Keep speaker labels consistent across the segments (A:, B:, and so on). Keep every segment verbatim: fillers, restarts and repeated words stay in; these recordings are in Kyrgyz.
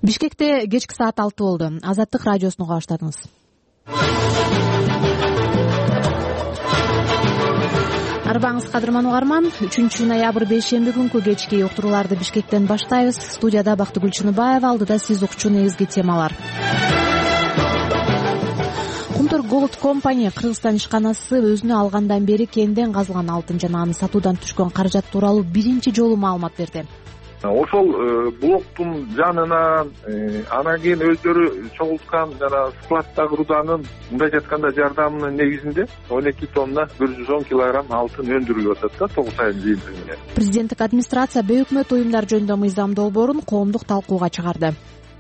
A: Бишкекте кечки саат алты болду. Азаттык радиосуну уга баштадыңыз. Арбаңыз кадырман угарман. үчүнчү ноябрь бейшемби күнкү кечки уктурууларды Бишкектен баштайбыз. Студияда Бактыгүл Чыныбаева, алдыда сиз укчу негизги темалар. Кумтур Gold Company Кыргызстан ишканасы өзүнө алгандан бери кенден казылган алтын жана аны сатуудан түшкөн каражат тууралуу биринчи жолу маалымат берди.
B: Ошол блоктун жанына анан кийин өздөрү чогулткан жана складдагы руданын мындайча айтканда жардамынын негизинде он эки тонна бир жүз он килограмм алтын өндүрүлүп атат да тогуз айдын жыйынтыгында.
A: Президенттик администрация бейөкмөт уюмдар жөнүндө мыйзам долбоорун коомдук талкууга чыгарды.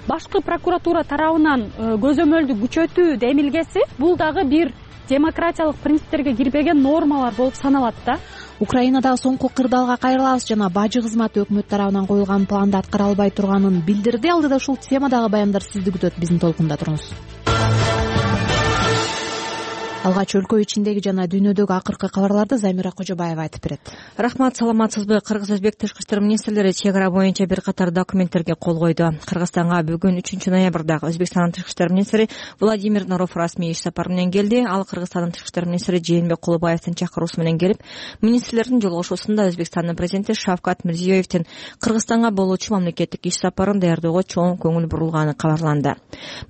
C: Башкы прокуратура тарабынан көзөмөлдү күчөтүү демилгеси бул дагы бир демократиялык принциптерге кирбеген нормалар болуп саналат да.
A: Украинадагы соңку кырдаалга кайрылабыз жана бажы кызматы өкмөт тарабынан коюлган планды аткара албай турганын билдирди. Алдыда ушул темадагы баяндар сизди күтөт. Биздин толкунда туруңуз. Алгач өлкө ичиндеги жана дүйнөдөгү акыркы кабарларды Замира Кожобаева айтып берет.
D: Рахмат, саламатсызбы? Кыргыз-Өзбек тышкы иштер министрлери чек ара боюнча бир катар документтерге кол койду. Кыргызстанга бүгүн үчүнчү ноябрда Өзбекстандын тышкы иштер министри Владимир Норов расмий иш сапары менен келди. Ал Кыргызстандын тышкы иштер министри Жээнбек Кулубаевдин чакыруусу менен келип, министрлердин жолугушуусунда Өзбекстандын президенти Шавкат Мирзиёевдин Кыргызстанга болуучу мамлекеттик иш сапарын даярдөөгө чоң көңүл бурулганы кабарланды.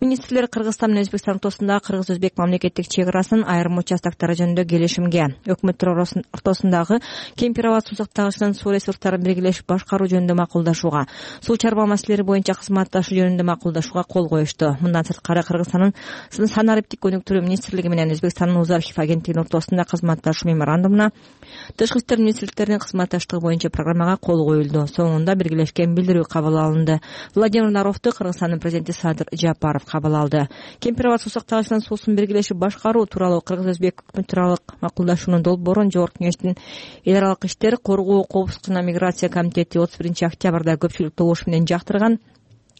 D: Министрлер Кыргызстан менен Өзбекстан ортосундагы Кыргыз-Өзбек мамлекеттик чек арасын айрым участактары жөнүндө келишимге, өкмөттөр ортосундагы Кемпир-Абад суу сактагычынын суу ресурстарын биргелешип башкаруу жөнүндө макулдашууга, суу чарба маселелери боюнча кызматташуу жөнүндө макулдашууга кол коюшту. Мындан сырткары Кыргызстандын санариптик өнүктүрүү министрлиги менен Өзбекстандын Уз архив агенттигинин ортосунда кызматташуу меморандумуна, тышкы иштер министрликтеринин кызматташтыгы боюнча программага кол коюлду. Соңунда биргелешкен билдирүү кабыл алынды. Владимир Наровду Кыргызстандын президенти Садыр Жапаров кабыл алды. Кемпир-Абад суу сактагычынын суусун биргелешип башкаруу тууралуу Кыргыз-Өзбек өкмөтаралык макулдашуунун долбоорун Жогорку кеңештин эл аралык иштер, коргоо, коопсуздук жана миграция комитети отуз биринчи октябрда көпчүлүк добуш менен жактырган.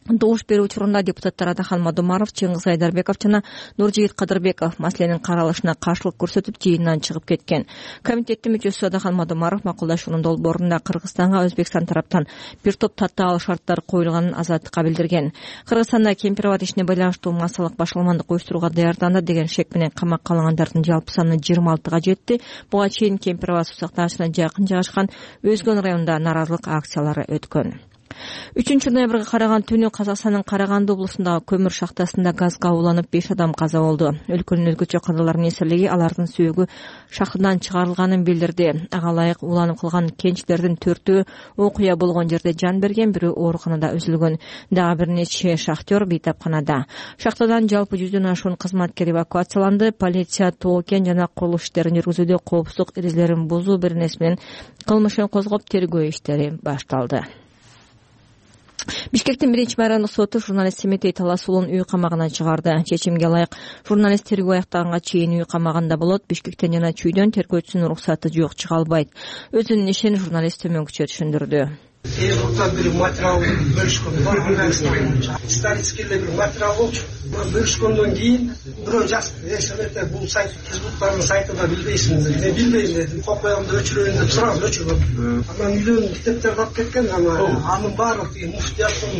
D: Добуш берүү учурунда депутаттар Адахан Мадумаров, Чыңгыз Айдарбеков жана Нуржигит Кадырбеков маселенин каралышына каршылык көрсөтүп жыйындан чыгып кеткен. Комитеттин мүчөсү Адахан Мадумаров макулдашуунун долбоорунда Кыргызстанга Өзбекстан тараптан бир топ татаал шарттар коюлганын азаттыкка билдирген. Кыргызстанда Кемпир-Абад ишине байланыштуу массалык башаламандык уюштурууга даярданды деген шек менен камакка алынгандардын жалпы саны жыйырма алтыга жетти. Буга чейин Кемпир-Абад суу сактагычына жакын жайгашкан Өзгөн районунда нааразылык акциялары өткөн. үчүнчү ноябрга караган түнү Казакстандын Караганды облусундагы көмүр шахтасында газга уланып беш адам каза болду. Өлкөнүн өзгөчө кырдаалар министрлиги алардын сөөгү шахтадан чыгарылганын билдирди. Ага ылайык уланып калган кенчтердин төртөө окуя болгон жерде жан берген, бирөө ооруканада үзүлгөн. Дагы бир нече шахтер бейтапканада. Шахтадан жалпы жүздөн ашуун кызматкер эвакуацияланды. Полиция тоо кен жана курулуш иштерин жүргүзүүдө коопсуздук эрежелерин бузуу беренеси менен кылмышын козгоп тергөө иштери башталды. Бишкектин биринчи майрандык соту журналист Семетей Таласуулун үй камагынан чыгарды. Чечимге ылайык журналист тергөө аяктаганга чейин үй камагында болот. Бишкектен жана Чүйдөн тергөөчүсүнүн уруксаты жок, чыга албайт. Өзүнүн ишин журналист төмөнкүчө түшүндүрдү.
E: Элдуктан бир материал бөлүшкөн бар, исторический бир материал болчу. Бөлүшкөндөн кийин бирөө жазып, "Эсемете бул сайт Фейсбуктагы сайтында билбейсиңиз?" Мен билбейм дедим. Копиямды өчүрөйүн деп сурам, өчүргөм. Анан үйдөн китептерди алып кеткен, анын баардыгы муфтияттын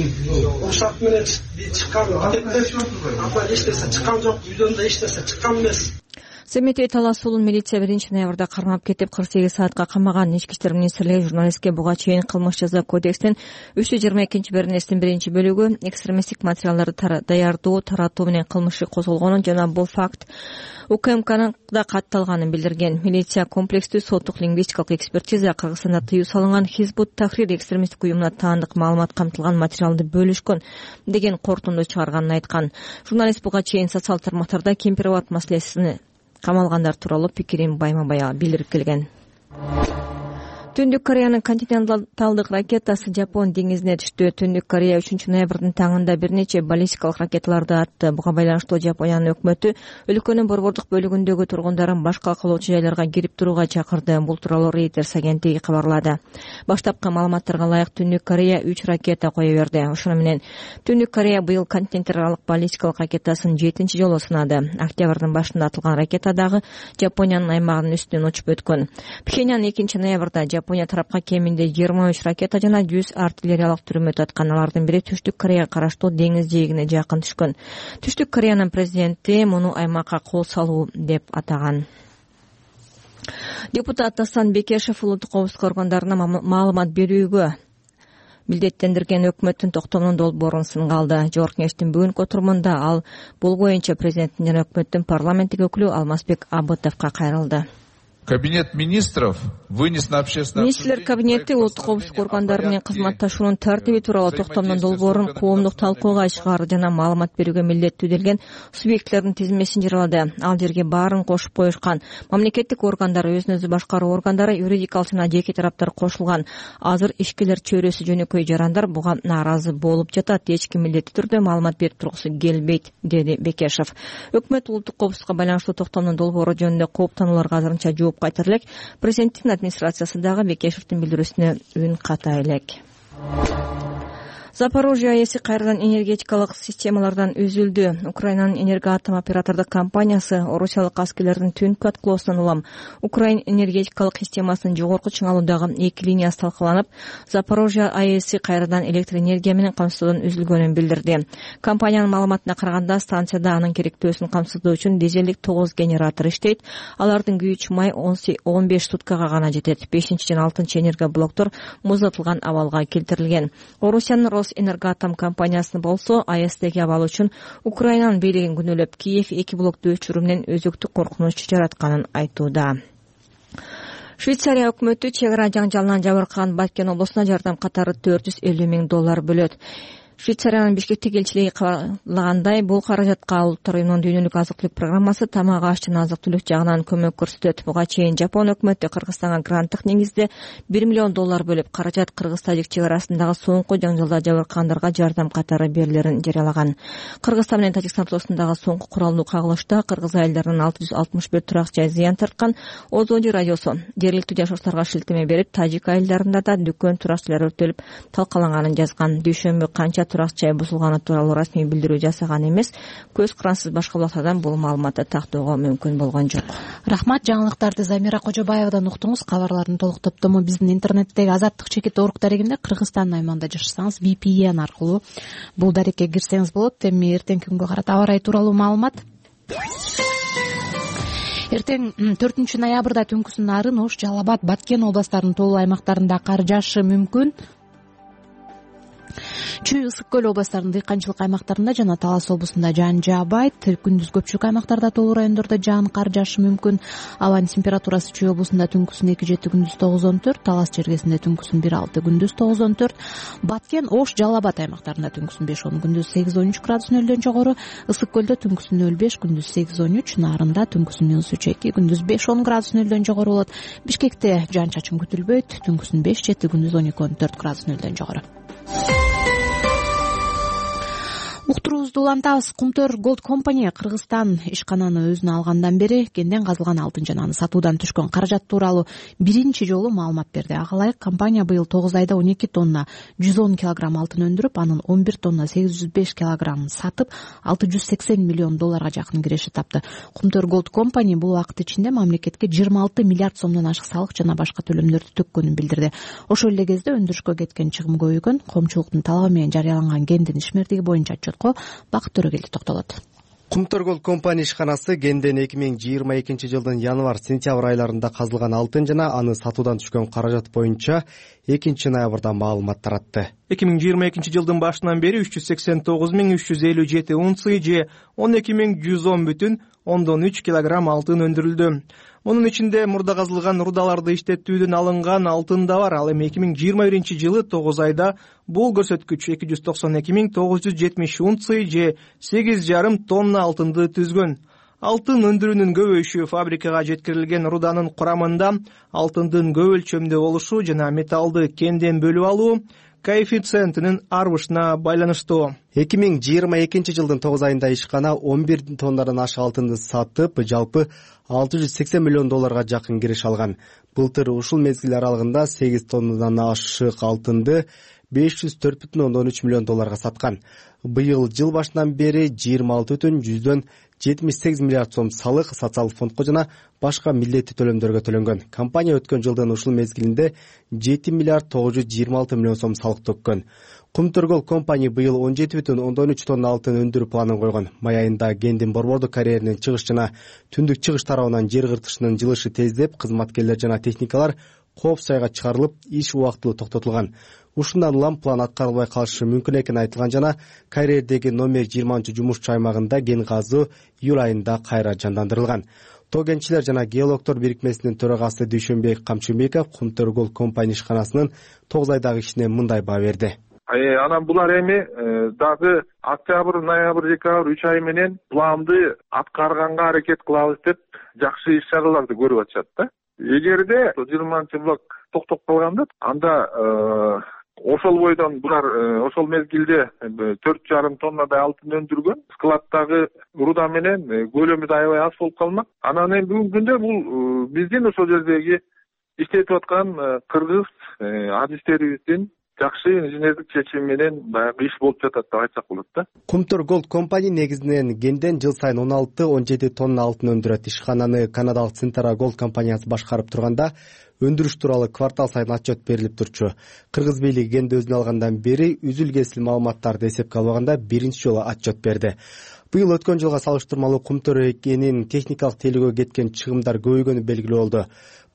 E: уруксаты менен чыккан китептер. Анан эч нерсе чыккан жок, үйдөн да эч нерсе чыккан эмес.
D: Семетей Таласуулун милиция биринчи ноябрда кармап кетип кырк сегиз саатка камаган. Ички иштер министрлиги журналистке буга чейин кылмыш жаза кодекстин үч жүз жыйырма экинчи беренесинин биринчи бөлүгү экстремисттик материалдарды даярдоо, таратуу менен кылмышы козголгонун жана бул факт УКМКнын да катталганын билдирген. Милиция комплекстүү соттук лингвистикалык экспертиза Кыргызстанда тыюу салынган Хизбут Тахрир экстремисттик уюмуна таандык маалымат камтылган материалды бөлүшкөн деген корутунду чыгарганын айткан. Журналист буга чейин социал тармактарда Кемпир-Абад маселесини камалгандар тууралуу пикирин байма-бая билдирип келген. Түндүк Кореянын континенталдык ракетасы Жапон деңизине түштү. Түндүк Корея үчүнчү ноябрдын таңында бир нече баллистикалык ракеталарды атты. Буга байланыштуу Жапониянын өкмөтү өлкөнүн борбордук бөлүгүндөгү тургундарын башка калоочу жайларга кирип туруга чакырды. Бул тууралуу Reuters агенттиги кабарлады. Баштапкы маалыматтарга ылайык Түндүк Корея үч ракета кое берди. Ошону менен Түндүк Корея быйыл континенталдык баллистикалык ракетасын жетинчи жолу сынады. Октябрдын башында атылган ракета дагы Жапониянын аймагынын үстүнөн учуп өткөн. Пхеньян экинчи ноябрда Жапония тарапка кеминде жыйырма үч ракета жана жүз артиллериялык түрмөт аткан. Алардын бири Түштүк Кореяга караштуу деңиз жээгине жакын түшкөн. Түштүк Кореянын президенти муну аймакка кол салуу деп атаган. Депутат Дастан Бекешев улуттук коопсуздук органдарына маалымат берүүгө милдеттендирген өкмөттүн токтомунун долбоорун сынга алды. Жогорку кеңештин бүгүнкү отурумунда ал бул боюнча президенттин жана өкмөттүн парламенттик өкүлү Алмазбек Абытовго кайрылды.
F: Кабинет министров вынес на общественное
D: Министрлер кабинети улуттук коопсуздук органдары менен кызматташуунун тартиби тууралуу токтомдун долбоорун коомдук талкууга чыгаруу жана маалымат берүүгө милдеттүү делген субъектилердин тизмесин жарыялады. Ал жерге баарын кошуп коюшкан. Мамлекеттик органдар, өзүн өзү башкаруу органдары, юридикалык жана жеке тараптар кошулган. Азыр ишкерлер чөйрөсү жөнөкөй жарандар буга нааразы болуп жатат. Эч ким милдеттүү түрдө маалымат берип тургусу келбейт, деди Бекешев. Өкмөт улуттук коопсуздукка байланыштуу токтомдун долбоору жөнүндө кооптанууларга азырынча жооп кайтара элек. Президенттин администрациясы дагы Бекешевдин билдирүүсүнө үн ката элек. Запорожье АЭСи кайрадан энергетикалык системалардан үзүлдү. Украинанын энергоатом оператордук компаниясы орусиялык аскерлердин түнкү аткылоосунан улам Украин энергетикалык системасынын жогорку чыңалуудагы эки линиясы талкаланып, Запорожье АЭСи кайрадан электр энергия менен камсыздоодон үзүлгөнүн билдирди. Компаниянын маалыматына караганда, станцияда анын керектөөсүн камсыздоо үчүн дизелдик тогуз генератор иштейт. Алардын күч май он беш суткага гана жетет. бешинчи жана алтынчы энергоблоктор муздатылган абалга келтирилген. Орусиянын Энергоатом компаниясынын болсо АЭСдеги абал үчүн Украинанын бийлигин күнөөлөп, Киев эки блокту өчүрүү менен өзөктүк коркунуч жаратканын айтууда. Швейцария өкмөтү чек ара жаңжалынан жабыркаган Баткен облусуна жардам катары төрт жүз элүү миң доллар бөлөт. Швейцариянын Бишкектеги элчилиги кабарлагандай, бул каражатка Улуттар уюмунун дүйнөлүк азык-түлүк программасы тамак аш жана азык-түлүк жагынан көмөк көрсөтөт. Буга чейин Жапон өкмөтү Кыргызстанга гранттык негизде бир миллион доллар бөлүп, каражат Кыргыз-Тажик чек арасындагы соңку жаңжалда жабыркагандарга жардам катары берилерин жарыялаган. Кыргызстан менен Тажикстан ортосундагы соңку куралдуу кагылышта кыргыз айылдарынын алты жүз алтымыш бир турак жай зыян тарткан. Озоди радиосу жергиликтүү жашоочуларга шилтеме берип, Тажик айылдарында да дүкөн туракчылар өртөлүп талкаланганын жазган. Дүйшөмбү канча турак жай бузулганы тууралуу расмий билдирүү жасаган эмес. Көз карансыз башка булактардан бул маалыматты тактоого мүмкүн болгон жок.
A: Рахмат, жаңылыктарды Замира Кожобаевадан уктуңуз. Кабарлардын толук топтому биздин интернеттеги Азаттык чекит орг дарегинде, Кыргызстандын аймагында жашасаңыз ви пи эн аркылуу бул дарекке кирсеңиз болот. Эми эртеңки күнгө карата аба ырайы тууралуу маалымат. Эртең төртүнчү ноябрда түнкүсүн Нарын, Ош, Жалал Абад, Баткен областарынын толуу аймактарында кар жаашы мүмкүн. Чүй, Ысык көл областарынын дыйканчылык аймактарында жана Талас облусунда жаан жаабайт. Күндүз көпчүлүк аймактарда толуу райондордо жаан кар жаашы мүмкүн. Абанын температурасы Чүй облусунда түнкүсүн эки жети, күндүз тогуз он төрт, Талас чергесинде түнкүсүн бир алты, күндүз тогуз он төрт, Баткен, Ош, Жалал Абад аймактарында түнкүсүн беш он, күндүз сегиз он үч градус нөлдөн жогору, Ысык көлдө түнкүсүн нөл беш, күндүз сегиз он үч, Нарында түнкүсүн минус үч эки, күндүз беш он градус нөлдөн жогору болот. Бишкекте жаан чачын күтүлбөйт, түнкүсүн беш жети, күндүз он эки он төрт градус нөлдөн жогору. Уктуруубузду улантабыз. Кумтөр Gold Company Кыргызстан ишкананы өзүнө алгандан бери кенден казылган алтын жана аны сатуудан түшкөн каражат тууралуу биринчи жолу маалымат берди. Ага ылайык, компания быйыл тогуз айда он эки тонна жүз он килограмм алтын өндүрүп, анын он бир тонна сегиз жүз беш килограммын сатып, алты жүз сексен миллион долларга жакын киреше тапты. Кумтөр Gold Company бул убакыт ичинде мамлекетке жыйырма алты миллиард сомдон ашык салык жана башка төлөмдөрдү төккөнүн билдирди. Ошол эле кезде өндүрүшкө кеткен чыгым көбөйгөн. Коомчулуктун талабы менен жарыяланган кендин ишмердиги боюнча отчетко Бакыт Төрөгелди токтолот.
G: Кумтөр Gold Company ишканасы кенден эки миң жыйырма экинчи жылдын январь-сентябрь айларында казылган алтын жана аны сатуудан түшкөн каражат боюнча экинчи ноябрда маалымат таратты.
H: эки миң жыйырма экинчи жылдын башынан бери үч жүз сексен тогуз миң үч жүз элүү жети унция же он эки миң жүз он бүтүн ондон үч килограмм алтын өндүрүлдү. Мунун ичинде мурда казылган рудаларды иштетүүдөн алынган алтын да бар. Ал эми эки миң жыйырма биринчи жылы тогуз айда бул көрсөткүч эки жүз токсон эки миң тогуз жүз жетимиш унция же сегиз жарым тонна алтынды түзгөн. Алтын өндүрүүнүн көбөйүшү фабрикага жеткирилген руданын курамында алтындын көп өлчөмдө болушу жана металлды кенден бөлүп алуу коэффициентинин арбышына байланыштуу.
G: эки миң жыйырма экинчи жылдын тогуз айында ишкана он бир тоннадан ашык алтынды сатып, жалпы алты жүз сексен миллион долларга жакын кириш алган. Былтыр ушул мезгил аралыгында сегиз тоннадан ашык алтынды беш жүз төрт бүтүн ондон үч миллион долларга саткан. Быйыл жыл башынан бери жыйырма алты бүтүн жүздөн жетимиш сегиз миллиард сом салык социалдык фондко жана башка милдеттүү төлөмдөргө төлөнгөн. Компания өткөн жылдын ушул мезгилинде жети миллиард тогуз жүз жыйырма алты миллион сом салык төккөн. Кумтөргөл компания быйыл он жети бүтүн ондон үч тонна алтын өндүрүү планын койгон. Май айында Гендин борбордук карьеринин чыгыш жана түндүк чыгыш тарабынан жер кыртышынын жылышы тездеп, кызматкерлер жана техникалар коопсуз айга чыгарылып, иш убактылуу токтотулган. Ушундан улам план аткарылбай калышы мүмкүн экени айтылган жана карьердеги номер жыйырманчы жумушчу аймагында кен казуу июль айында кайра жандандырылган. Тоо кенчилер жана геологдор бирикмесинин төрагасы Дүйшөнбек Камчыбеков Кумтөргөл компания ишканасынын тогуз айдагы ишине мындай баа берди.
B: Анан булар эми дагы октябрь, ноябрь, декабрь үч ай менен планды аткарганга аракет кылабыз деп жакшы иш чараларды көрүп атышат да. Эгерде жыйырманчы блок токтоп калганда, анда ошол бойдон булар ошол мезгилде төрт жарым тоннадай алтын өндүргөн. Складдагы руда менен көлөмү да аябай аз болуп калмак. Анан эми бүгүнкү күндө бул биздин ошол жердеги иштетип аткан кыргыз адистерибиздин жакшы инженердик чечими менен баягы иш болуп жатат деп айтсак болот да.
G: Кумтөр компания негизинен кенден жыл сайын он алты он жети тонна алтын өндүрөт. Ишкананы канадалык Центра Голд компаниясы башкарып турганда өндүрүш тууралуу квартал сайын отчет берилип турчу. Кыргыз бийлиги кенди өзүнө алгандан бери үзүл-кесил маалыматтарды эсепке албаганда биринчи жолу отчет берди. Быйыл өткөн жылга салыштырмалуу Кумтөр экенин техникалык тейлөөгө кеткен чыгымдар көбөйгөнү белгилүү болду.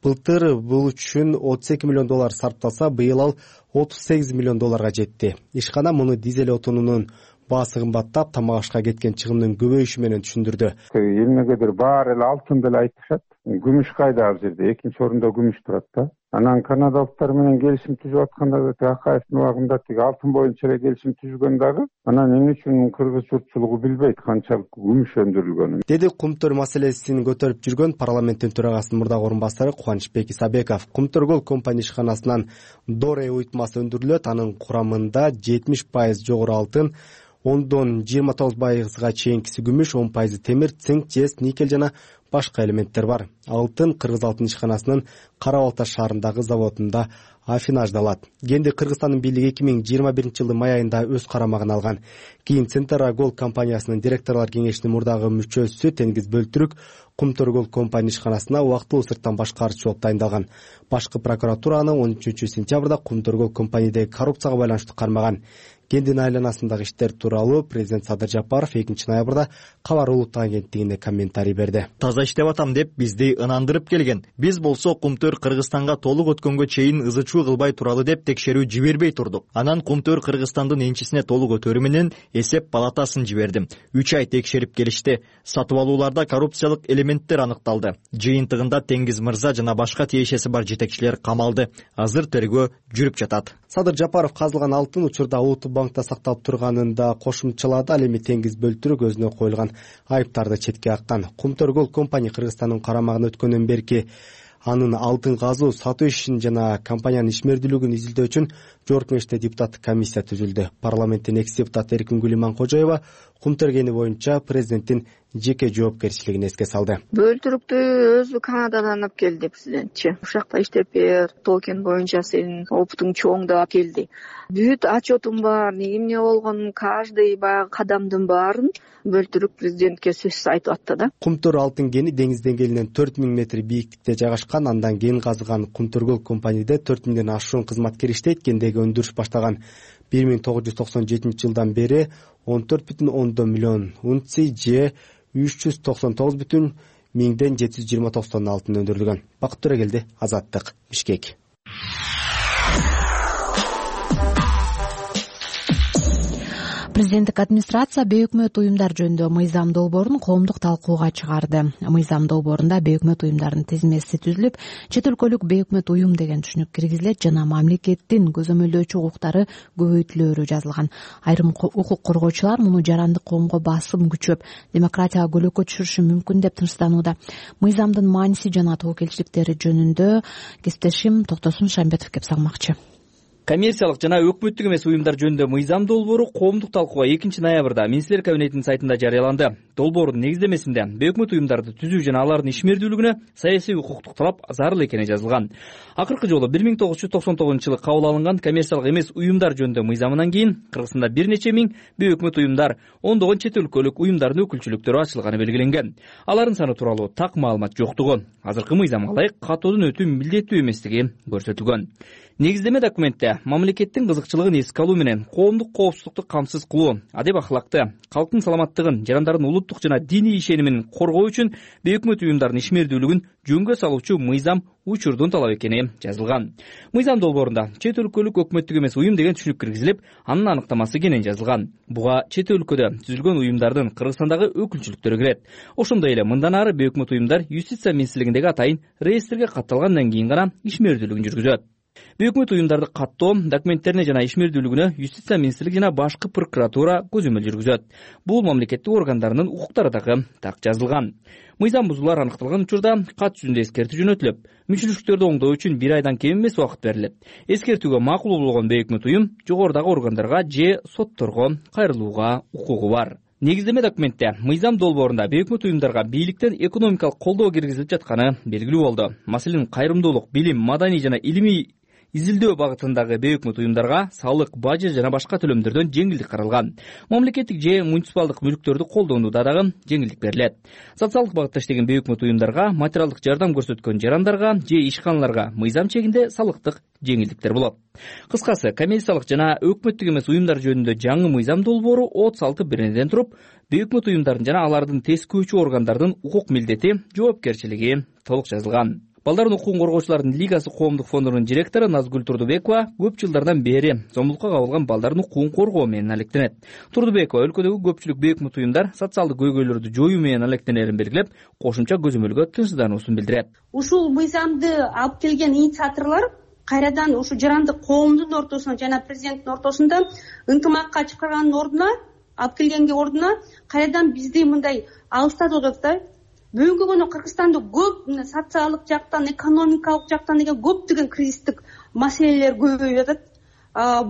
G: Былтыр бул үчүн отуз эки миллион доллар сарпталса, быйыл ал отуз сегиз миллион долларга жетти. Ишкана муну дизель отунунун баасы кымбаттап, тамак ашка кеткен чыгымдын көбөйүшү менен түшүндүрдү.
I: Эмнегедир баары эле алтын деле айтышат. Күмүш кайда ал жерде? Экинчи орунда күмүш турат да. Анан канадалыктар менен келишим түзүп атканда да Акаевдин убагында тиги алтын боюнча эле келишим түзгөн дагы анан эмне үчүн кыргыз журтчулугу билбейт канчалык күмүш өндүрүлгөнүн.
G: Деди Кумтөр маселесин көтөрүп жүргөн парламенттин төрагасынын мурдагы орун басары Кубанычбек Исабеков. Кумтөргөл компания ишканасынан доре уйтмасы өндүрүлөт. Анын курамында жетимиш пайыз жогору алтын, ондон жыйырма тогуз пайызга чейинкиси күмүш, он пайызы темир, цинк, жез, никель жана башка элементтер бар. Алтын Кыргыз алтын ишканасынын Кара Балта шаарындагы заводунда афинаждалат. Кенди Кыргызстандын бийлиги эки миң жыйырма биринчи жылдын май айында өз карамагына алган. Кийин Центра Голд компаниясынын директорлор кеңешинин мурдагы мүчөсү Тенгиз Бөлтүрүк Кумтөргөл компания ишканасына убактылуу сырттан башкарчы болуп тайындалган. Башкы прокуратура аны он үчүнчү сентябрда Кумтөргөл компаниядеги коррупцияга байланыштуу кармаган. Кендин айланасындагы иштер тууралуу президент Садыр Жапаров экинчи ноябрда Кабар улуттук агенттигине комментарий берди.
J: Таза иштеп атам деп бизди ынандырып келген. Биз болсо Кумтөр Кыргызстанга толук өткөнгө чейин ызычуу кылбай туралы деп текшерүү жибербей турдук. Анан Кумтөр Кыргызстандын энчисине толук өтөрү менен эсеп палатасын жибердим. үч ай текшерип келишти. Сатып алууларда коррупциялык элементтер аныкталды. Жыйынтыгында Теңиз мырза жана башка тиешеси бар жетекчилер камалды. Азыр тергөө жүрүп жатат.
G: Садыр Жапаров казылган алтын учурда Улуттук банкта сакталып турганын да кошумчалады. Ал эми Теңиз Бөлтүрүк өзүнө коюлган айыптарды четке каккан. Кумтөргөл компания Кыргызстандын карамагына өткөндөн берки анын алтын казуу, сатуу ишин жана компаниянын ишмердүүлүгүн изилдөө үчүн жогорку кеңеште депутаттык комиссия түзүлдү. Парламенттин экс депутаты Эркингүл Иманкожоева Кумтөр кени боюнча президенттин жеке жоопкерчилигин эске салды.
K: Бөлтүрүктү өзү Канададан алып келди президентчи. Ушакта иштеп бер, тоо кен боюнча сенин опытың чоң деп алып келди. Бүт отчетум бар, эмне болгонун каждый баягы кадамдын баарын Бөлтүрүк президентке сөзсүз айтып атты да.
G: Кумтөр алтын кени деңиз деңгээлинен төрт миң метр бийиктикте жайгашкан. Андан кен казыган Кумтөргөл компанияда төрт миңден ашуун кызматкер иштейт. Кендеги өндүрүш баштаган бир миң тогуз жүз токсон жетинчи жылдан бери он төрт бүтүн ондон миллион унций же үч жүз токсон тогуз бүтүн миңден жети жүз жыйырма тогуз тонна алтын өндүрүлгөн. Бакыт Төрөгелди, Азаттык, Бишкек.
A: Президенттик администрация бейөкмөт уюмдар жөнүндө мыйзам долбоорун коомдук талкууга чыгарды. Мыйзам долбоорунда бейөкмөт уюмдардын тизмеси түзүлүп, чет өлкөлүк бейөкмөт уюм деген түшүнүк киргизилет жана мамлекеттин көзөмөлдөөчү укуктары көбөйтүлөөрү жазылган. Айрым укук коргоочулар муну жарандык коомго басым күчөп, демократияга көлөкө түшүрүшү мүмкүн деп тынчсызданууда. Мыйзамдын мааниси жана тобокелчиликтери жөнүндө кесиптешим Токтосун Шамбетов кеп салмакчы.
L: Коммерциялык жана өкмөттүк эмес уюмдар жөнүндө мыйзам долбоору коомдук талкууга экинчи ноябрда министрлер кабинетинин сайтында жарыяланды. Долбоордун негиздемесинде бейөкмөт уюмдарды түзүү жана алардын ишмердүүлүгүнө саясий укуктук талап зарыл экени жазылган. Акыркы жолу бир миң тогуз жүз токсон тогузунчу жылы кабыл алынган коммерциялык эмес уюмдар жөнүндө мыйзамынан кийин Кыргызстанда бир нече миң бейөкмөт уюмдар, ондогон чет өлкөлүк уюмдардын өкүлчүлүктөрү ачылганы белгиленген. Алардын саны тууралуу так маалымат жоктугу, азыркы мыйзамга ылайык катоодон өтүү милдеттүү эместиги көрсөтүлгөн. Негиздеме документте мамлекеттин кызыкчылыгын эске алуу менен коомдук коопсуздукту камсыз кылуу, адеп акылакты, калктын саламаттыгын, жарандардын улуттук жана диний ишенимин коргоо үчүн бейөкмөт уюмдардын ишмердүүлүгүн жөнгө салуучу мыйзам учурдун талап экени жазылган. Мыйзам долбоорунда чет өлкөлүк өкмөттүк эмес уюм деген түшүнүк киргизилип, анын аныктамасы кенен жазылган. Буга чет өлкөдө түзүлгөн уюмдардын Кыргызстандагы өкүлчүлүктөрү кирет. Ошондой эле мындан ары бейөкмөт уюмдар юстиция министрлигиндеги атайын реестрге катталгандан кийин гана ишмердүүлүгүн жүргүзөт. Бейөкмөт уюмдарды каттоо, документтерине жана ишмердүүлүгүнө юстиция министрлиги жана башкы прокуратура көзөмөл жүргүзөт. Бул мамлекеттик органдарынын укуктары дагы так жазылган. Мыйзам бузуулар аныкталган учурда кат жүзүндө эскертүү жөнөтүлүп, мүчүлүштөрдү оңдоо үчүн бир айдан кем эмес убакыт берилет. Эскертүүгө макул болгон бейөкмөт уюм жогорудагы органдарга же сотторго кайрылууга укугу бар. Негиздеме документте мыйзам долбоорунда бейөкмөт уюмдарга бийликтен экономикалык колдоо киргизилип жатканы белгилүү болду. Маселен, кайрымдуулук, билим, маданий жана илимий изилдөө багытындагы бейөкмөт уюмдарга салык, бажы жана башка төлөмдөрдөн жеңилдик каралган. Мамлекеттик же муниципалдык мүлктөрдү колдонууда дагы жеңилдик берилет. Социалдык багытта иштеген бейөкмөт уюмдарга, материалдык жардам көрсөткөн жарандарга же ишканаларга мыйзам чегинде салыктык жеңилдиктер болот. Кыскасы, коммерциялык жана өкмөттүк эмес уюмдар жөнүндө жаңы мыйзам долбоору отуз алты беренеден туруп, бейөкмөт уюмдардын жана алардын тескөөчү органдардын укук милдети, жоопкерчилиги толук жазылган. Балдардын укугун коргоочулардын лигасы коомдук фондунун директору Назгүл Турдубекова көп жылдардан бери зомбулукка кабылган балдардын укугун коргоо менен алектенет. Турдубекова өлкөдөгү көпчүлүк бейөкмөт уюмдар социалдык көйгөйлөрдү жоюу менен алектенерин белгилеп, кошумча көзөмөлгө тынчсыздануусун билдирет.
M: Ушул мыйзамды алып келген инициаторлор кайрадан ушу жарандык коомдун ортосунда жана президенттин ортосунда ынтымакка чакырганын ордуна, алып келгенге ордуна кайрадан бизди мындай алыстатып атат да. Бүгүнкү күнү Кыргызстанда көп социалдык жактан, экономикалык жактан деген көптөгөн кризистик маселелер көбөйүп атат.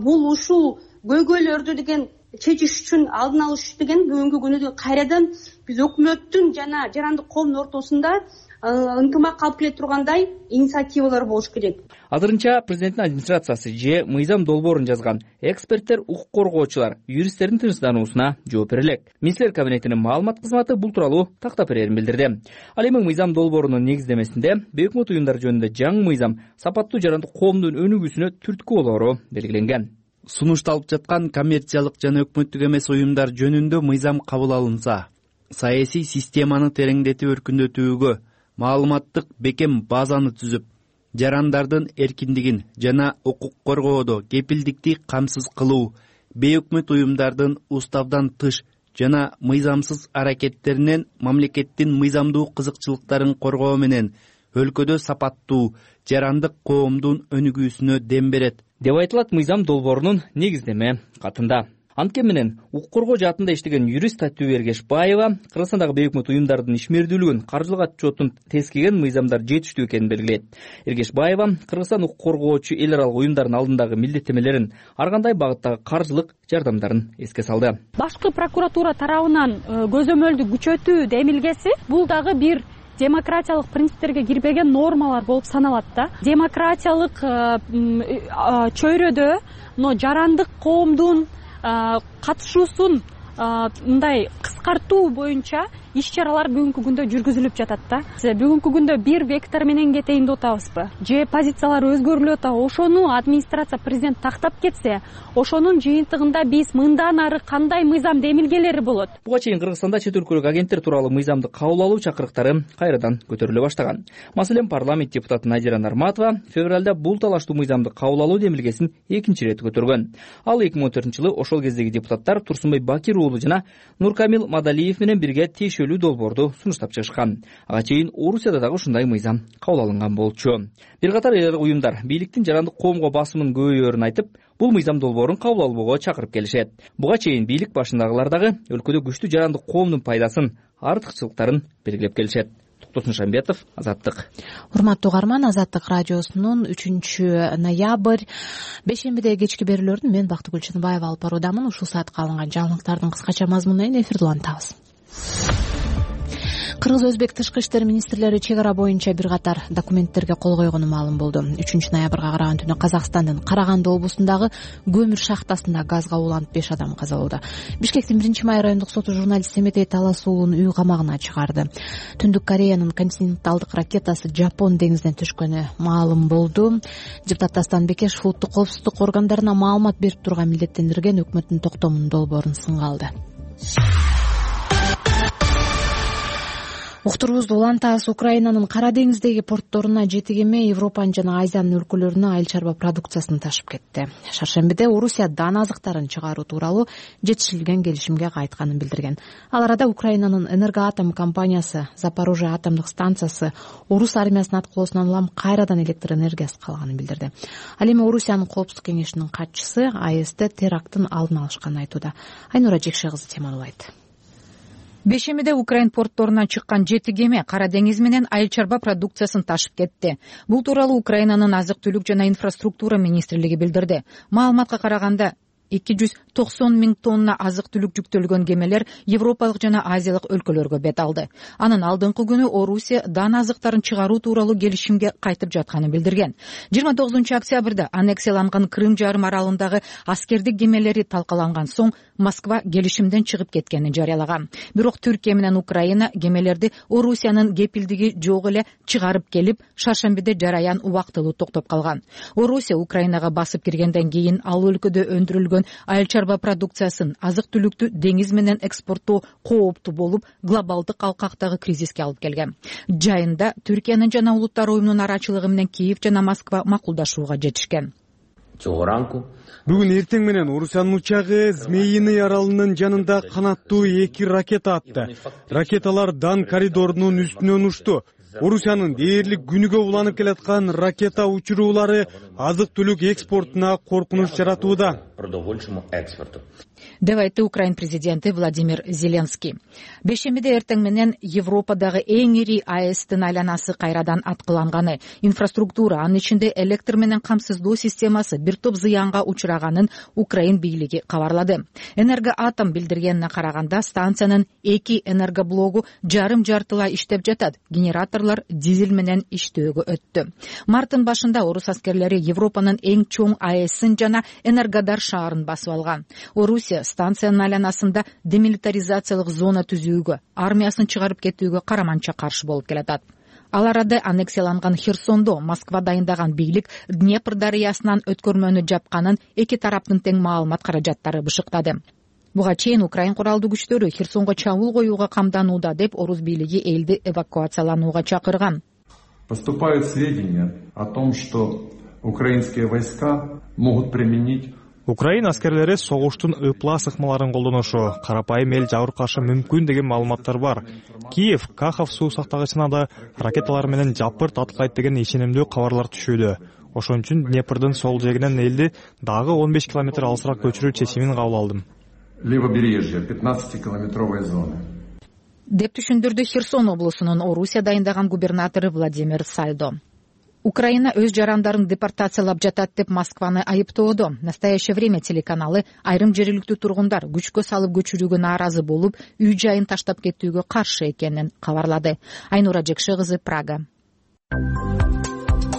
M: Бул ушул көйгөйлөрдү деген чечиш үчүн, алдын алыш деген бүгүнкү күнү кайрадан биз өкмөттүн жана жарандык коомдун ортосунда ынтымак алып келе тургандай инициативалар болуш керек.
L: Азырынча президенттин администрациясы же мыйзам долбоорун жазган эксперттер, укук коргоочулар, юристтердин тынчсыздануусуна жооп бере элек. Министрлер кабинетинин маалымат кызматы бул тууралуу тактап берерин билдирди. Ал эми мыйзам долбоорунун негиздемесинде бейөкмөт уюмдар жөнүндө жаңы мыйзам сапаттуу жарандык коомдун өнүгүүсүнө түрткү болоору белгиленген.
N: Сунушталып жаткан коммерциялык жана өкмөттүк эмес уюмдар жөнүндө мыйзам кабыл алынса, саясий системаны тереңдетип өркүндөтүүгө, маалыматтык бекем базаны түзүп, жарандардын эркиндигин жана укук коргоодо кепилдикти камсыз кылуу, бейөкмөт уюмдардын уставдан тыш жана мыйзамсыз аракеттеринен мамлекеттин мыйзамдуу кызыкчылыктарын коргоо менен өлкөдө сапаттуу жарандык коомдун өнүгүүсүнө дем берет,
L: деп айтылат мыйзам долбоорунун негиздеме катында. Анткени менен укук коргоо жаатында иштеген юрист Татуу Эргешбаева Кыргызстандагы бейөкмөт уюмдардын ишмердүүлүгүн, каржылык отчетун тескеген мыйзамдар жетиштүү экенин белгилейт. Эргешбаева Кыргызстан укук коргоочу эл аралык уюмдардын алдындагы милдеттемелерин, ар кандай багыттагы каржылык жардамдарын эске салды.
C: Башкы прокуратура тарабынан көзөмөлдү күчөтүү демилгеси бул дагы бир демократиялык принциптерге кирбеген нормалар болуп саналат да. Демократиялык чөйрөдө жарандык коомдун катышуусун мындай кыскартуу боюнча иш-чаралар бүгүнкү күндө жүргүзүлүп жатат да. Бүгүнкү күндө бир вектор менен кетейин деп атабызбы? Же позициялар өзгөрүлүп атабы? Ошону администрация, президент тактап кетсе, ошонун жыйынтыгында биз мындан ары кандай мыйзам демилгелери болот?
L: Буга чейин Кыргызстанда чет өлкөлүк агенттер тууралуу мыйзамды кабыл алуу чакырыктары кайрадан көтөрүлө баштаган. Маселен, парламент депутаты Надира Нарматова февралда бул талаштуу мыйзамды кабыл алуу демилгесин экинчи ирет көтөргөн. Ал эки миң он төртүнчү жылы ошол кездеги депутаттар Турсунбай Бакир уулу жана Нуркамил Мадалиев менен бирге тиешелүү долбоорду сунуштап чыгышкан. Ага чейин Орусияда дагы ушундай мыйзам кабыл алынган болчу. Бир катар эл аралык уюмдар бийликтин жарандык коомго басымын көбөйөөрүн айтып, бул мыйзам долбоорун кабыл албоого чакырып келишет. Буга чейин бийлик башындагылар дагы өлкөдө күчтүү жарандык коомдун пайдасын, артыкчылыктарын белгилеп келишет. токтосун Шамбетов, Азаттык.
A: Урматтуу угарман, Азаттык радиосунун үчүнчү ноябрь бейшембиде кечки берүүлөрүн мен Бактыгүл Чыныбаева алып баруудамын. Ушул саатка алынган жаңылыктардын кыскача мазмунун эфирди улантабыз. Кыргыз-өзбек тышкы иштер министрлери чек ара боюнча бир катар документтерге кол койгону маалым болду. үчүнчү ноябрга караган түнү Казакстандын Караганды облусундагы көмүр шахтасында газга уланып беш адам каза болду. Бишкектин биринчи май райондук соту журналист Семетей Таласуулун үй камагына чыгарды. Түндүк Кореянын континенталдык ракетасы Жапон деңизине түшкөнү маалым болду. Депутат Дастан Бекешев улуттук коопсуздук органдарына маалымат берип турган милдеттендирген өкмөттүн токтомунун долбоорун сынга алды. Уктурубузду улантабыз. Украинанын Кара деңиздеги портторуна жети кеме Европанын жана Азиянын өлкөлөрүнө айыл чарба продукциясын ташып кетти. Шаршембиде Орусия дан азыктарын чыгаруу тууралуу жетишилген келишимге кайтканын билдирген. Ал арада Украинанын Энергоатом компаниясы Запорожье атомдук станциясы Орус армиясынын аткылоосунан улам кайрадан электр энергиясы калганын билдирди. Ал эми Орусиянын коопсуздук кеңешинин катчысы АЭСте теракттын алдын алышканын айтууда. Айнура Жекше кызы темалайт.
O: Бейшембиде Украин портторуна чыккан жети кеме Кара деңиз менен айыл чарба продукциясын ташып кетти. Бул тууралуу Украинанын азык-түлүк жана инфраструктура министрлиги билдирди. Маалыматка караганда эки жүз токсон миң тонна азык-түлүк жүктөлгөн кемелер Европалык жана Азиялык өлкөлөргө бет алды. Анын алдыңкы күнү Орусия дан азыктарын чыгаруу тууралуу келишимге кайтып жатканын билдирген. жыйырма тогузунчу октябрда аннексияланган Крым жарым аралындагы аскердик кемелери талкаланган соң Москва келишимден чыгып кеткенин жарыялаган. Бирок Түркия менен Украина кемелерди Орусиянын кепилдиги жок эле чыгарып келип, шаршембиде жараян убактылуу токтоп калган. Орусия Украинага басып киргенден кийин ал өлкөдө өндүрүлгөн айыл чарба продукциясын, азык-түлүктү деңиз менен экспорттоо кооптуу болуп, глобалдык алкактагы кризиске алып келген. Жайында Түркиянын жана Улуттар уюмунун арачылыгы менен Киев жана Москва макулдашууга жетишкен.
P: Бүгүн эртең менен Орусиянын учагы Змеиный аралынын жанында канаттуу эки ракета атты. Ракеталар Дан коридорунун үстүнөн учту. Орусиянын дээрлик күнүгө уланып келаткан ракета учуруулары азык-түлүк экспортуна коркунуч жаратууда,
O: деп айтты Украин президенти Владимир Зеленский. Бейшембиде эртең менен Европадагы эң ири АЭСтин айланасы кайрадан аткыланганы, инфраструктура, анын ичинде электр менен камсыздоо системасы бир топ зыянга учураганын Украин бийлиги кабарлады. Энергоатом билдиргенине караганда станциянын эки энергоблогу жарым жартылай иштеп жатат. Генераторлор дизель менен иштөөгө өттү. Марттын башында орус аскерлери Европанын эң чоң АЭСин жана Энергодар шаарын басып алган. Орусия станциянын айланасында демилитаризациялык зона түзүүгө, армиясын чыгарып кетүүгө караманча каршы болуп келатат. Ал арада аннексияланган Херсондо Москва дайындаган бийлик Днепр дарыясынан өткөрмөнү жапканын эки тараптын тең маалымат каражаттары бышыктады. Буга чейин Украин куралдуу күчтөрү Херсонго чабуул коюуга камданууда деп орус бийлиги элди эвакуацияланууга чакырган.
Q: Поступают сведения о том, что украинские войска могут применить
R: Украина аскерлери согуштун ыпла сыкмаларын колдонушу, карапайым эл жабыркашы мүмкүн деген маалыматтар бар. Киев Кахов суу сактагычына да ракеталар менен жапырт аткайт деген ишенимдүү кабарлар түшүүдө. Ошон үчүн Днепрдин сол жегинен элди дагы он беш километр алысыраак көчүрүү чечимин кабыл алдым.
Q: Левобережье пятнадцатикилометровой зоны.
O: Деп түшүндүрдү Херсон облусунун Орусия дайындаган губернатору Владимир Сальдо. Украина өз жарандарын депортациялап жатат деп Москваны айыптоодо. Настоящее время телеканалы айрым жергиликтүү тургундар күчкө салып көчүрүүгө нааразы болуп, үй жайын таштап кетүүгө каршы экенин кабарлады. Айнура Жекше кызы, Прага.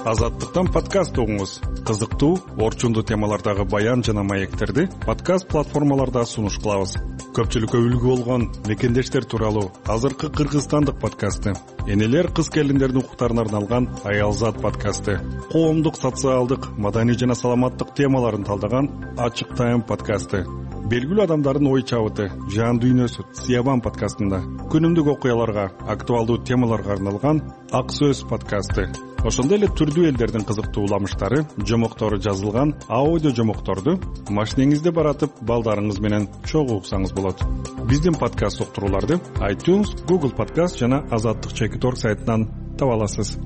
S: Азаттыктан подкаст угуңуз. Кызыктуу, орчундуу темалардагы баян жана маектерди подкаст платформаларда сунуш кылабыз. Көпчүлүккө үлгү болгон мекендештер тууралуу азыркы кыргызстандык подкасты, энелер кыз келиндердин укуктарына арналган Аялзат подкасты, коомдук, социалдык, маданий жана саламаттык темаларын талдаган Ачык Тайм подкасты, белгилүү адамдардын ой чабыты, жан дүйнөсү Сиябан подкастында, күнүмдүк окуяларга, актуалдуу темаларга арналган Ак Сөз подкасты, ошондой эле түрдүү элдердин кызыктуу уламыштары, жомоктору жазылган аудио жомокторду машинеңизде баратып балдарыңыз менен чогуу уксаңыз болот. Биздин подкаст уктурууларды iTunes, Google Podcast жана Азаттык чекит точка орг сайтынан таба аласыз.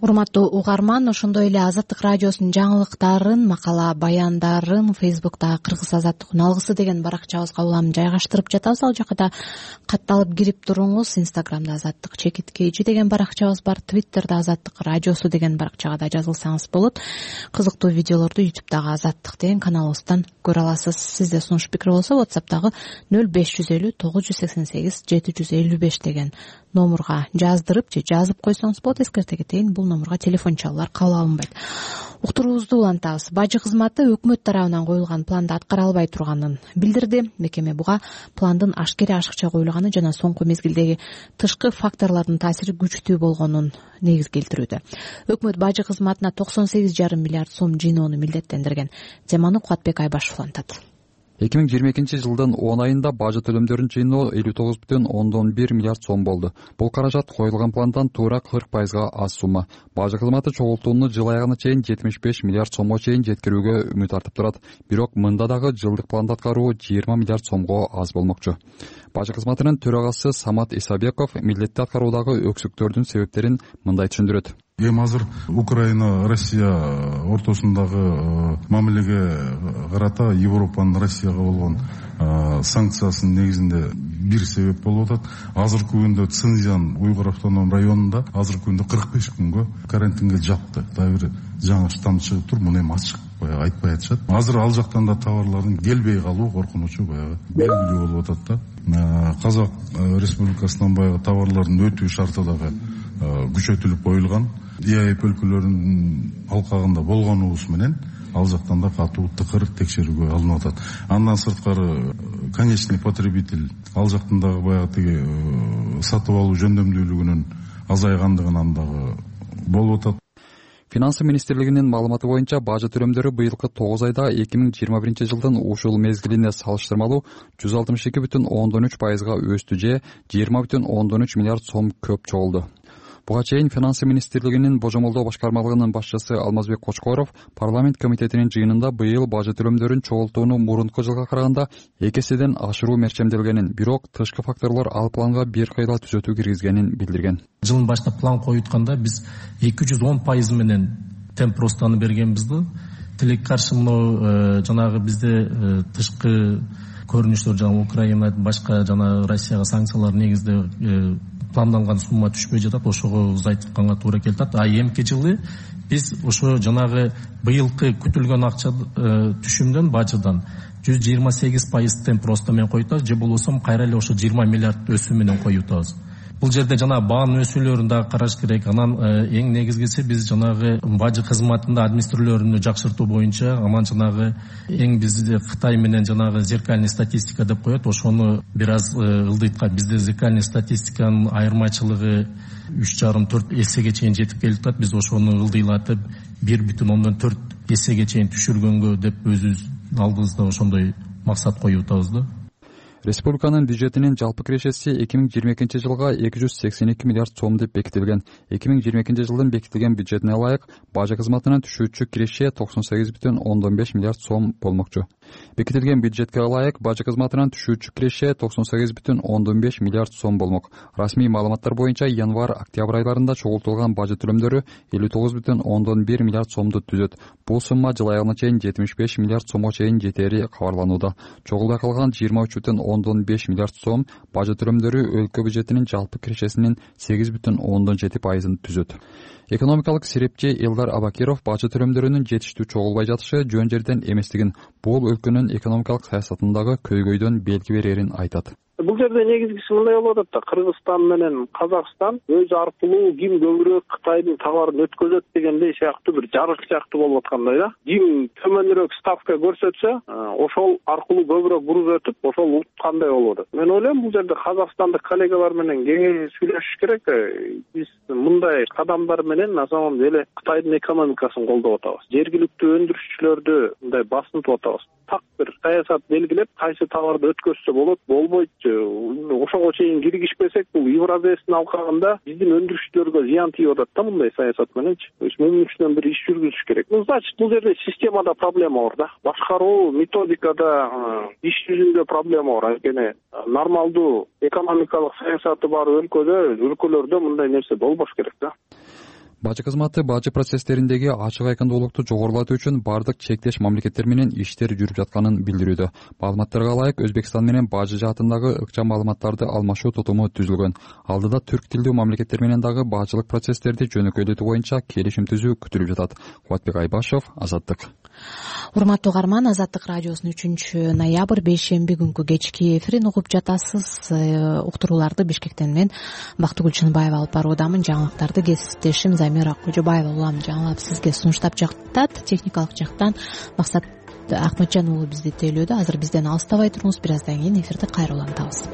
A: урматтуу угарман, ошондой эле Азаттык радиосунун жаңылыктарын, макала баяндарын Фейсбуктагы Кыргыз Азаттык алгысы деген баракчабызга улам жайгаштырып жатабыз. Ал жака да катталып кирип туруңуз. Инстаграмда Азаттык чекиткейжи деген баракчабыз бар, Твиттерде Азаттык радиосу деген баракчага да жазылсаңыз болот. Кызыктуу видеолорду ютубтагы Азаттык деген каналыбыздан көрө аласыз. Сизде сунуш пикир болсо WhatsApp'тагы нөл беш жүз элүү тогуз жүз сексен сегиз жети жүз элүү беш деген номурга жаздырып же жазып койсоңуз болот. Эскерте кетейин, бул номурга телефон чалуулар кабыл алынбайт. Уктуруубузду улантабыз. Бажы кызматы өкмөт тарабынан коюлган планды аткара албай турганын билдирди. Мекеме буга пландын ашкере ашыкча коюлганы жана соңку мезгилдеги тышкы факторлордун таасири күчтүү болгонун негиз келтирүүдө. Өкмөт бажы кызматына токсон сегиз жарым миллиард сом жыйноону милдеттендирген. Теманы Кубатбек Айбашев улантат.
T: эки миң жыйырма экинчи жылдын он айында бажы төлөмдөрүн жыйноо элүү тогуз бүтүн ондон бир миллиард сом болду. Бул каражат коюлган пландан туура кырк пайызга аз сумма. Бажы кызматы чогултууну жыл аягына чейин жетимиш беш миллиард сомго чейин жеткирүүгө үмүт артып турат. Бирок мында дагы жылдык планды аткаруу жыйырма миллиард сомго аз болмокчу. Бажы кызматынын төрагасы Самат Исабеков милдетти аткаруудагы өксүктөрдүн себептерин мындай түшүндүрөт.
U: Эми азыр Украина, Россия ортосундагы мамилеге карата Европанын Россияга болгон санкциясынын негизинде бир себеп болуп атат. Азыркы күндө Цинзян Уйгур автоном районунда азыркы күндө кырк беш күнгө карантинге жапты. Дагы бир жаңы штамм чыгып тур, муну эми ачык баягы айтпай атышат. Азыр ал жактан да товарлардын келбей калуу коркунучу баягы белгилүү болуп атат да. Казак Республикасынан баягы товарлардын өтүү шарты дагы күчөтүлүп коюлган. ИАЭП өлкөлөрүнүн алкагында болгонубуз менен ал жактан да катуу тыкыр текшерүүгө алынып атат. Андан сырткары конечный потребитель ал жактан дагы баягы тиги сатып алуу жөндөмдүүлүгүнүн азайгандыгынан дагы болуп атат.
T: Финансы министрлигинин маалыматы боюнча бажы төлөмдөрү быйылкы тогуз айда эки миң жыйырма биринчи жылдын ушул мезгилине салыштырмалуу жүз алтымыш эки бүтүн ондон үч пайызга өстү же жыйырма бүтүн ондон үч миллиард сом көп чогулду. Буга чейин Финансы министрлигинин божомолдоо башкармалыгынын башчысы Алмазбек Кочкоров парламент комитетинин жыйынында быйыл бажы төлөмдөрүн чогултууну мурунку жылга караганда эки эседен ашыруу мерчемделгенин, бирок тышкы факторлор ал планга бир кыйла түзөтүү киргизгенин билдирген.
V: Жылдын башында план коютканда биз эки жүз он пайыз менен темп ростаны бергенбиз да. Тилекке каршы мына жанагы бизде тышкы көрүнүштөр жана Украина башка жана Россияга санкциялар негизде планданган сумма түшпөй жатат, ошого узайтканга туура келет. А эмки жылы биз ошо жанагы быйылкы күтүлгөн акча түшүмдөн бажыдан жүз жыйырма сегиз пайыз темп роста менен коюптабыз, же болбосо кайра эле ошо жыйырма миллиард өсүү менен коюптабыз. Бул жерде жана баанын өсүүлөрүн дагы караш керек. Анан эң негизгиси биз жанагы бажы кызматында администрациялөрүнү жакшыртуу боюнча, анан жанагы эң бизде Кытай менен жанагы зеркальный статистика деп коет, ошону бир аз ылдыйткан. Бизде зеркальный статистиканын айырмачылыгы үч жарым төрт эсеге чейин жетип келип атат. Биз ошону ылдыйлатып бир бүтүн ондон төрт эсеге чейин түшүргөнгө деп өзүбүз алдыбызда ошондой максат коюп атабыз да.
T: Республиканын бюджетинин жалпы кирешеси эки миң жыйырма экинчи жылга эки жүз сексен эки миллиард сом деп бекитилген. эки миң жыйырма экинчи жылдын бекитилген бюджетине ылайык бажы кызматынан түшүүчү киреше токсон сегиз бүтүн ондон беш миллиард сом болмокчу. Бекитилген бюджетке ылайык бажы кызматынан түшүүчү киреше токсон сегиз бүтүн ондон беш миллиард сом болмок. Расмий маалыматтар боюнча январь-октябрь айларында чогултулган бажы төлөмдөрү элүү тогуз бүтүн ондон бир миллиард сомду түзөт. Бул сумма жыл аягына чейин жетимиш беш миллиард сомго чейин жетери кабарланууда. Чогулбай калган жыйырма үч бүтүн ондон беш миллиард сом бажы төлөмдөрү өлкө бюджетинин жалпы кирешесинин сегиз бүтүн ондон жети пайызын түзөт. Экономикалык серепчи Элдар Абакиров бажы төлөмдөрүнүн жетиштүү чогулбай жатышы жөн жерден эместигин, бул өлкөнүн экономикалык саясатындагы көйгөйдөн белги берерин айтат.
B: Бул жерде негизгиси мындай болуп атат да, Кыргызстан менен Казакстан өз аркылуу ким көбүрөөк Кытайдын товарын өткөзөт дегендей сыяктуу бир жарык сыяктуу болуп аткандай да. Ким төмөнүрөөк ставка көрсөтсө, ошол аркылуу көбүрөөк груз өтүп, ошол уткандай болуп атат. Мен ойлойм, бул жерде казакстандык коллегалар менен кеңеш сүйлөшүш керек. Биз мындай кадамдар менен на самом деле Кытайдын экономикасын колдоп атабыз. Жергиликтүү өндүрүшчүлөрдү мындай басынтып атабыз. Так бир саясат белгилеп, кайсы товарды өткөзсө болот, болбойт. Ошого чейин киргишпесек, бул Евразиянын алкагында биздин өндүрүшчүлөргө зыян тийип атат да мындай саясат мененчи. Мунун үстүнөн бир иш жүргүзүш керек. Ну, значит, бул жерде системада проблема бар да. Башкаруу, методикада, иш жүзүндө проблема бар. Анткени нормалдуу экономикалык саясаты бар өлкөдө, өлкөлөрдө мындай нерсе болбош керек да.
T: бажы кызматы бажы процесстериндеги ачык айкындуулукту жогорулатуу үчүн баардык чектеш мамлекеттер менен иштер жүрүп жатканын билдирүүдө. Маалыматтарга ылайык Өзбекстан менен бажы жаатындагы ыкчам маалыматтарды алмашуу тутуму түзүлгөн. Алдыда түрк тилдүү мамлекеттер менен дагы бажылык процесстерди жөнөкөйлөтүү боюнча келишим түзүү күтүлүп жатат. Кубатбек Айбашев, Азаттык.
A: Урматтуу угарман, Азаттык радиосунун үчүнчү ноябрь бейшемби күнкү кечки эфирин угуп жатасыз. Уктурууларды Бишкектен мен Бактыгүл Чынбаева алып баруудамын. Жаңылыктарды кесиптешим Замира Кожобаева улам жаңылап сизге сунуштап жактат. Техникалык жактан Максат Акматжан уулу бизди тейлөөдө. Азыр бизден алыстабай туруңуз. Бир аздан кийин эфирди кайра улантабыз.